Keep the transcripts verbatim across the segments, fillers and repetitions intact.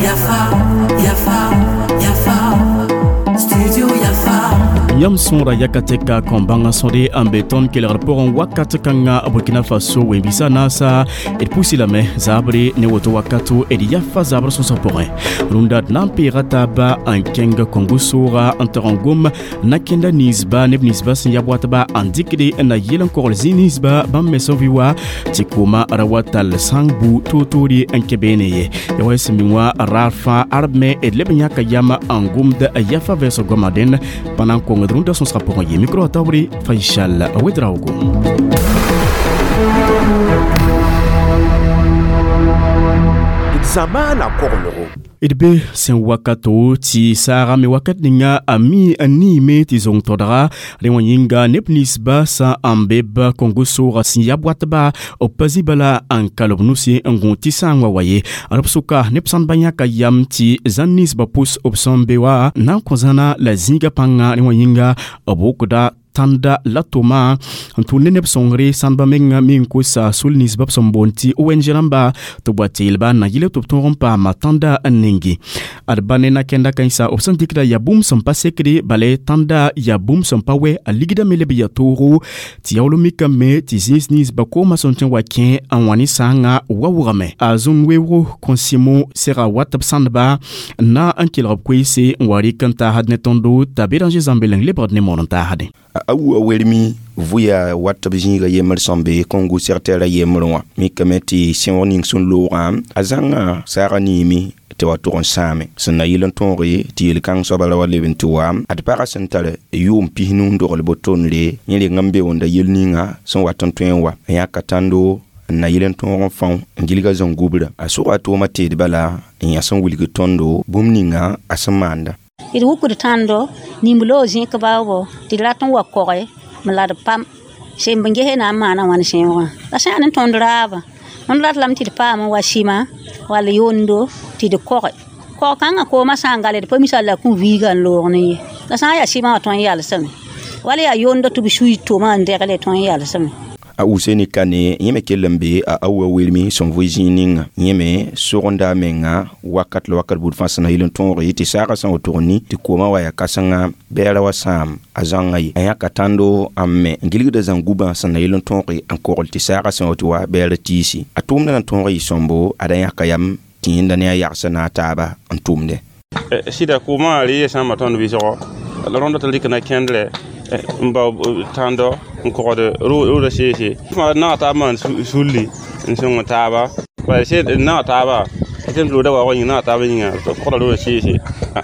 Yafa, Yafa, Yafa, Studio Yafa. Yãmb sõora yakatɛka kõ-bãngã sõde n be tõnd kelgr pʋgẽ wakat kãnga Burkina Faso wẽn-biisã naasa d pusi lame zaabre ne woto wakato d yafa zabr sõsg pʋgẽ rũndã d na n peega taaba n kẽng Kongo sooga n tog n gom na-kẽnda ninsba neb ninsba sẽn yab watba n dɩkde n na yel n kogl zĩ ninsba bãmb me sẽn vɩ wa tɩ kooma ra wa tall sãng bu toor-toore n kẽ beene ye ya wa sẽn ming wã raar fãa arb me d leb n yãka yam n gomd yafa vɛɛsg goamã dẽnd pa na n kongd rũndã sõsgã pʋgẽ ye micro taobre Faisal Ouedraogo. Zamaana koglgo d be sẽn wakato tɩ saagame wakat ninga a mi n niime tɩ zong todga rẽ wã yĩnga neb ninsba sã n be b Kongo sooga sẽn yab watba b pa zĩ bala n kal b nusi n gõ tɩ sã n wa wa ye b sʋka neb sãndba yãka yam tɩ zãn ninsba pʋs b sẽn be wa na n kõ zãna la zĩiga pãnga rẽ wã yĩnga b wʋkda tãnda la tʋma n tʋʋn ne neb sõngre sãndba menga me n kosa sul ninsba b sẽn boond tɩ O N G rãmba tɩ b wa teelba n na yɩl tɩ b tõog n paama tãnda n ningi ad ba ne na-kẽnda kãensa b sẽn dɩkda yaa bũmb sẽn pa sekde bala tãnda yaa bũmb sẽn pa wɛ a ligda me leb ya toogo tɩ yaool mikame tɩ zĩis ninsba koomã sẽn tõe n wa kẽ n wã ne sãangã wa wʋgame a zũn weoogo kõsɩmo sega wat b sãndba na n kelg b koeese n wa rɩk n taasd ne tõndo t'a Béranger Zãmbeleng lebgd ne moon n taasdẽ. A wa wermi vʋya wat b zĩiga yembr sẽn be Kongo sɛgtɛɛrã yembrẽ wã mikame tɩ sẽoog ning sẽn loogã a zãnga saagã niime tɩ wa tʋg n sãame sẽn na yɩl n tõoge tɩ yel-kãng soaba ra wa leb n tɩ wa ad pagã sẽn tar yʋʋm pis-nu n dogl botonre yẽ reng n be wẽnda yel ninga sẽn wat n tõe n wa n yãka tãndo n na yɩl n tõog n fão n gilga zãn-gubra a sʋga a tʋʋmã teed bala n yã sẽn wilg tõndo bũmb ninga a sẽn maanda. D wukd tãndo nimb-loog zẽk baoobo tɩ d rat n wa koge m la d pam semb n ges na n maana wãn sẽoogã la sã yaa ne tõnd raabã tõnd rat lame tɩ d paam n wa sɩma wall yondo tɩ d koge kog kãngã koomã sã n gale d pa misal la kũ viiga n loog ne ye la sã n yaa sɩmã wã tõe n yalsame wala yaa yondo tɩ b sui toma n degle tõe n yalsame. A Useni Kane yẽ me kell n be a awa welmi sẽn vʋɩ zĩig ninga yẽ me sogenda a menga wakat la wakat buud fãa sẽn na yɩl n tõoge tɩ saagã sã n wotoog ni tɩ koomã wa yaa kãsenga bɛɛra wa sãam a zãngã ye a yãka tãndo n me n gilgda zãn-gubã sẽn na yɩl n tõoge n kogl tɩ saagã sã n woto wa bɛɛra tiisi a tʋʋmdã na tõog yɩ sõmbo ad a yãka yam tɩ yẽnda ne a yagsã na a taaba n tʋmdẽ. Sɩda koomã re sãamba tõnd wɩsgo la rõnda tɩ rɩk na kẽndrɛ n bao tãndo n kogd rooda seese naag taab maan sulli n sõng taaba bala naag taaba tɩ rooda waoogã yĩng naag taabã yĩnga kogda rooda seese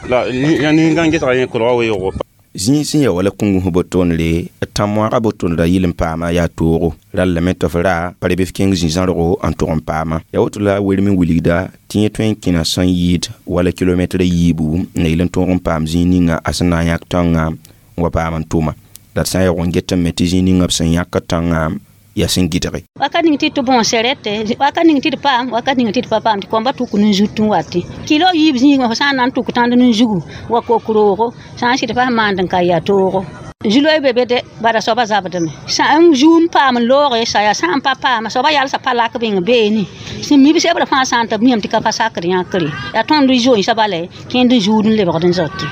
la nin-gãng gesga yẽ kolga weoogo. Zĩig sẽn ya wala kũngs botonre tã-moaagã botonra yɩl n paama yaa toogo rall lame tɩ f ra pa reb f kẽng zĩ-zãrgo n tʋg n paama yaa woto la werem n wilgda tɩ yẽ tõe n kẽna sẽn yɩɩd wala kilomɛtrã yiibu n na yɩl n tõog n paam zĩig ninga a sẽn na n yãk tãngã n wa paam n tʋma la d sã n yaoog n get n me tɩ zĩig ninga b sẽn yãk tãngã yaa sẽn gɩdge. Wakat ning tɩ tɩ bõo sɛrɛte wakat ning tɩ d paam wakat ning tɩ d pa paam tɩ kõmba tuk ne zut n wate kilo yiib zĩigã fo sã n na n tuk tãnd ne zugu wa kok roogo sã n sɩd fas maand n ka yaa toogo zuloy be be de bara soaba zabdame sã n zuum paam n looge sa yaa sã n pa paama soaba yalsa pa lak bɩng beene sẽn mib sebrã fãa sã n tɩ b miame tɩ ka pa sakd yãkre yaa tõnd zoeensã bala kẽnd n zuud n lebgd n zote.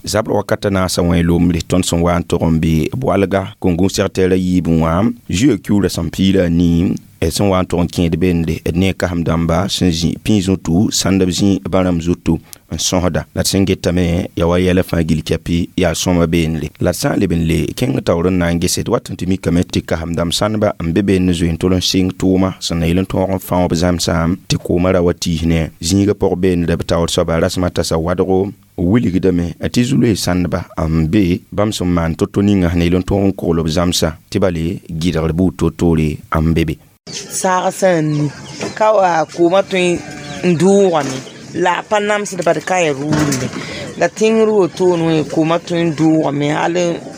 Zabr wakata naasã wã lombre tõnd sẽn wa n tog n be boalga Kongo sɛgtɛɛrã yiibẽ wã zuya kiuurã sẽn piila a nii d sẽn wa n tog n kẽed bende d ne kasem dãmba sẽn zĩ pĩig zutu sãndb zĩ bãrãmb zutu n sõsda la d sẽn getame yaa wa yɛla fãa gil kɛpɩ yaa sõma beendre la d sã n leb n le kẽng taoor n na n gese d wat n tɩ mikame tɩ kasem dãmb sãndba n be beend zoe n tol n sɩng tʋʋma sẽn na yɩl n tõog n fão b zãmsã tɩ koomã ra wa tiis ne zĩigã pʋg beendre b taoor soaba rasmã tasa wadgo wilgdame tɩ zu-loe sãndba n be bãmb sẽn maan to-to ninga sẽn na yɩl n tõog n kogl b zãmsã tɩ bale gɩdgr buud to-toore n be be. Saag sã n ni ka wa koomã tõe n dʋʋgame la a pa namsd bad ka ya rʋʋnde la tẽngr wotone wẽ koomã tõe n dʋʋgame hal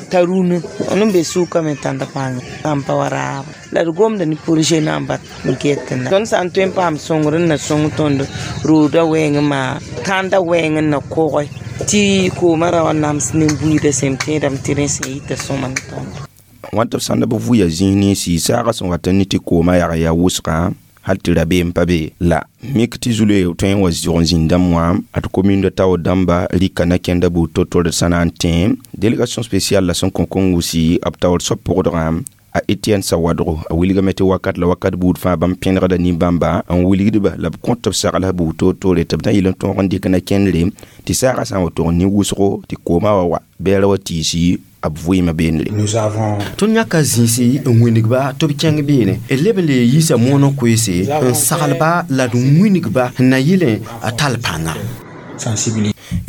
t'a rũnã n be sʋkame tãnd paam n pa wa raaba la d gomda ne projet namba n get n tõnd sã n tõe n paam sõngr n na sõng tõnd rooda wɛɛngẽ maa tãndã wɛɛng n na koge tɩ koomã ra wa nams ne buiidã sẽn tẽedame tɩ rẽ sẽn yita sõma ne tõndo. Wãn tɩ b sãnda b vʋya zĩis ninsi saagã sẽn wat n ne tɩ koomã yag yaa wʋsgã hal tɩ rabeem pa be la mik tɩ zulue tõe n wa zʋg n zĩnd dãmb wã ad commune de tao dãmba rɩka na kẽnda buud to-to d sã na n tẽ délégation spéciale la sẽn kõ kõn-wʋsi b taoor soab pʋgdgã a Etienne Sawadro a wilgame tɩ wakat la wakat buud fãa bãmb pẽnegda nin-bãmba n wilgdba la b kõt b sagl buud toor-toore tɩ b na yɩl n tõog n dɩk na kẽndre tɩ saagã sã n wa tog ne wʋsgo tɩ koomã wa wa bɛɛra wa tiisi b vɩɩmã beene. Tõnd yãka zĩisi n wĩnigba tɩ b kẽng beene d leb n le yiisa moonã koeese n saglba la d wĩnigba n na yɩlẽ a tall pãnga.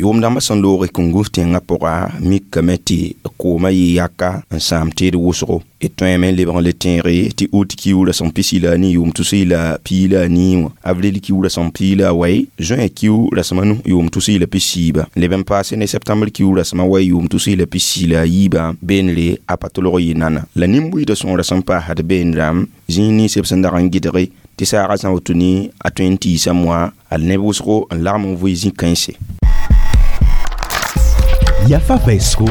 Yʋʋm dãmbã sẽn looge kõn-gũs tẽngã pʋga mikame tɩ koomã yɩ yaka n sãam teed wʋsgo d tõeme n lebg n le tẽege tɩ ut kiuurã sẽn pisi la a nii yʋʋm tus la pii la a nii wã avril kiuurã sẽn pii la a wai juin kiu rasem a nu yʋʋm tus la pis-siiba leb n paase ne septembre kiu rasem a wai yʋʋm tus la pis-sii la a yiibã beenre a pa tolg yɩ nana la nin-buiidã sõora sẽn paasd beenrã zĩis nins b sẽn dag n gɩdge tɩ saagã sã woto ne a tõe n tiisa moa a neb wʋsgo n lagm n vʋɩ zĩ-kãense. Yafa vaisgo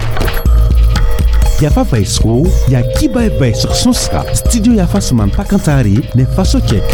Yafa vaisgo ya kiba vaisg sõsga studio Yafa sẽn maan pa-kãntaare ne faso kɛk.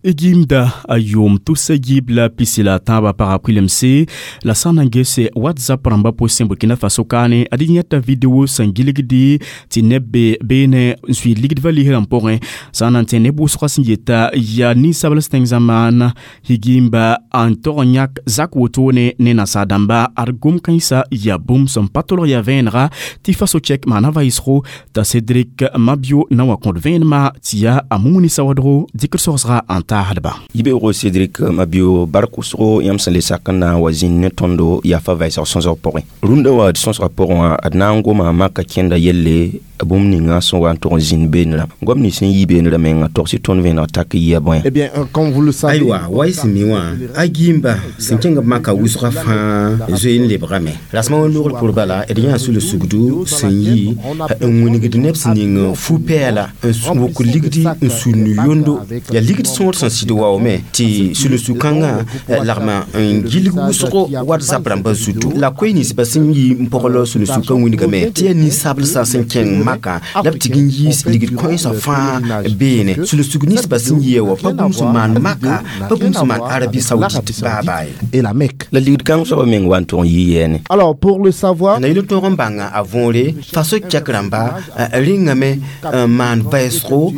Egimda a yʋʋm tusa yiib la pisi la tãabã pagã kuilemse la sã n na n gese WhatsApp rãmbã pʋsẽ Burkina Faso kaane ad yẽta video sẽn gilgdi tɩ neb be beene n suiid ligdbã lisrã pʋgẽ sã n na n tẽ neb wʋsgã sẽn yeta yaa ninsabls tẽng zãmaan higimba n tog n yãk zak wotone ne nasaar-dãmba ad gom-kãensã yaa bũmb sẽn pa tolg yaa vẽenega tɩ faso chɛk maana vaɩsgo t'a Cédric Mabio na n wa kõt vẽenemã tɩ yaa a Mumuni Sawadgo dɩkr sogsga n taasdba. Yibeoogo Cédric Mabio bark wʋsgo yãmb sẽn le sak n na n wa zĩnd ne tõndo yafa vɛɛsg sõsg pʋgẽ rũndã wa d sõsgã pʋgẽ wã d na n goma maka kẽnda yelle bũmb ninga sẽn wa n tʋg n zĩnd beenrã goam nins sẽn yi beenrã menga togs tõnd vẽeneg tak yia bõe. Eh bien, comme vous le savez, Aywa, wa y sẽn mi wã a gimba sẽn kẽng b maka wʋsgã fãa zoe n lebgame rasmã wã logr pʋr bala d yã sʋl-sugdu sẽn yi n wĩnigd neb sẽn ning fu-pɛɛla n wʋk ligdi n sũnd yondo yaa ligd sõor sẽn sɩd waoome tɩ sʋl-sug-kãngã lagma n gilg wʋsgo WhatsApp rãmbã zutu la koe ninsbã sẽn yi n pɔgl sʋl-sugkã wĩnigame tɩ yaa ninsablsã sẽn kẽng maka la b tɩg n yiis ligd kõensã fãa beene sʋl-sug ninsbã sẽn yia wã pa bũmb sẽn maan maka pa bũmb sẽn maan Arabie Saoudite baa-baa ye. Et la Mecque. La ligd kãng soabã meng wa n tʋg n yɩ yɛɛne. Alors, pour le savoir, na yɩl n tõog n bãnga a võore faso kɛk rãmba rĩngame n maan vɛɛsgo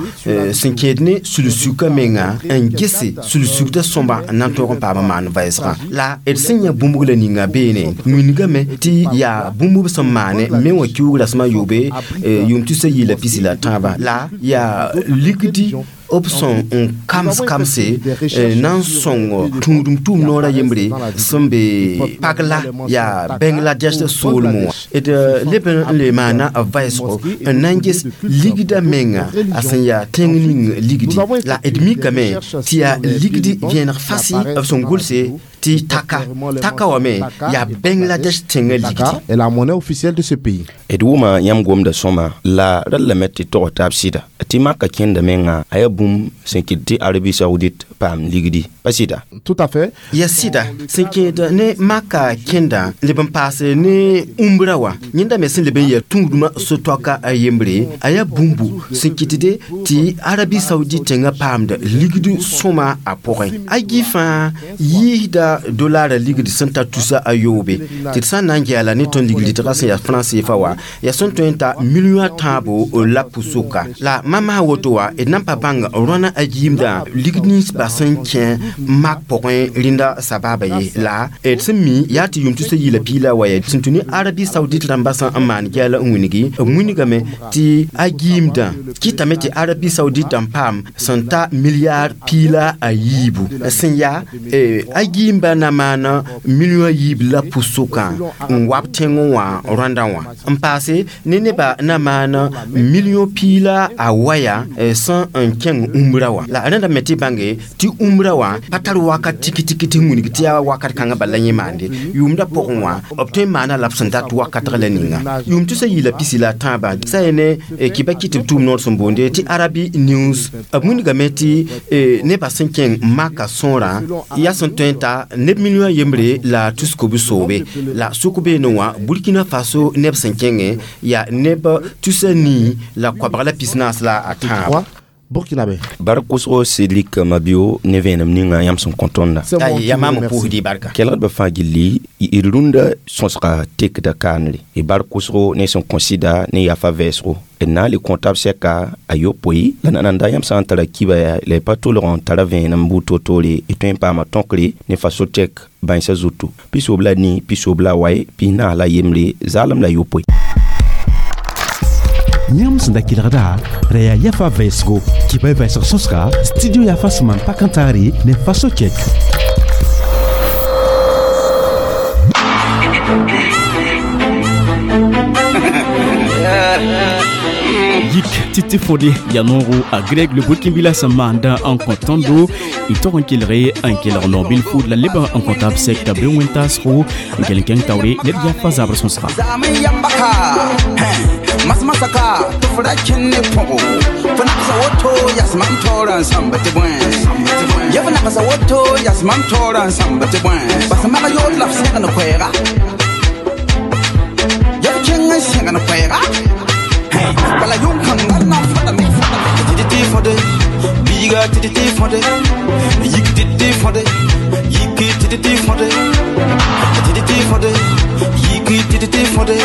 sẽn kẽed ne sul-sugã menga n gese sul-sugdã sõmba n na n tõog n paam n maan vɛɛsgã la d sẽn yã bũmb la ninga beene wĩnigame tɩ yaa bũmb b sẽn maane me wã kiuug rasmã yoobe yʋʋm tusa yɩ la pisi la tãabã la yaa ligdi b sẽn n kams kamse na n sõng tũudum tʋʋm noorã yembre sẽn be pagla yaa Bangladesh soolmẽ wã d leb n le maana b vɛɛsgo n na n ges ligdã menga a sẽn yaa tẽng ning ligdi la d mikame tɩ yaa ligdi vẽeneg fasɩ b sẽn gʋlse tɩ taka taka wame yaa Bangladesh tẽngã ligdi. Est la monnaie officielle de ce pays. D wʋma yãmb gomda sõma la rallame tɩ tog taab sɩda tɩ maka kẽnda menga a yaa bũmb sẽn kɩt tɩ Arabie Saoudite paam ligdi pa sɩda. Tout à fait. Ya sɩda sẽn kẽed ne maka kẽnda leb n paase ne umbra wã yẽnda me sẽn leb n yaa tũudmã so-toaka a yembre a yaa bũmbu sẽn kɩtde tɩ Arabie Saoudite tẽngã paamda ligd sõma a pʋgẽ a gi fãa yiisda dolara ligd sẽn ta tusa a yoobe tɩ d sã n na n gɛɛla ne tõnd ligd-dɩtgã sẽn yaa franc C F A wã yaa sẽn tõe n ta million a tãabo la pʋsoka la mama woto wã d na n pa bãng rõna a yiimdã ligd ninsbã sẽn kẽ mak pʋgẽ rẽnda sabaaba ye la d sẽn mi yaa tɩ yʋʋm tusa yɩ la piila wa ye sẽn tũ ne Arabie Saoudite rãmbã sã n maan gɛɛla n wĩnigi b wĩnigame tɩ a yiimdã kɩtame tɩ Arabie Saoudite n paam sẽn ta milliard piila a yiibu sẽn yaa a yiimba na maana million a yiib la pʋsʋkã n wab tẽngẽ wã rõandã wã n paase ne nebã na maana million piila a waya sẽn n kẽng kẽng umra wã la rẽnda me tɩ bãnge tɩ umra wã pa tar wakat tiki tiki tɩ wilg tɩ yaa wakat kãngã bala yẽ maande yʋʋmda pʋgẽ wã b tõe n maana la b sẽn dat wakatg la ninga yʋʋm tusa yɩ la pisi la tãabã sa yẽ ne kɩba kɩ tɩ b tʋʋm noor sẽn boonde tɩ Arabi News b wilgame tɩ nebã sẽn kẽng maka sõorã yaa sẽn tõe n ta neb million yembre la tus kob soobe la sʋk beene wã Burkina Faso neb sẽn kẽngẽ yaa neb tusa nii la koabg la pis-naas la a tãab Burkinabé. Bar kʋsgo Cédric Mabio ne vẽenem ninga yãmb sẽn kõ tõnda ya maam n pʋʋsd y barka kelgdbã fãa gilli d rũndã sõsga tekda kaanre y bar kʋsgo ne sẽn kõ sɩda ne yafa vɛɛsgo d na n le kõ tab sɛka a yopoe la nananda yãmb sã n tara kiba yaa la y pa tolg n tara vẽenem buud toor-toore y tõe n paama tõkre ne Faso-Tek bãensã zutu pisoob la nii pisoob la wae pis-naas la yembre zaalem la yopoe. Yãmb sẽn da kelgda ra yaa yafa vɛɛsgo kɩba y vɛɛsg sõsga studio yafa sẽn maan pak n taare ne Faso Kɛk. Yik titi fode ya nooro a Greg le Burkinbila sẽn maanda n kõ tõndo y tog n kelge n kelg no-bil fuud la leb n kõ tab sɛka be wẽn-taasgo n kell n kẽng taoore ned yafa zabr sõsga. Masmasaka tɩ f ra kẽnd ne põgo fo nagsa woto yas mam taoorã n sãmb tɩ bõe ya f nagsa woto yas mam taoorã n sãmb tɩ bõe bas mag yood la f sẽgn koɛɛga ya f kẽng n sẽgn koɛɛga bala yʋng-kãngã na n fadame tɩ tɩ fõde biiga tɩ tɩ fõde yik tɩ tɩ fõde yik tɩ tɩ fõde tɩ tɩ fõde yik tɩ tɩ fõde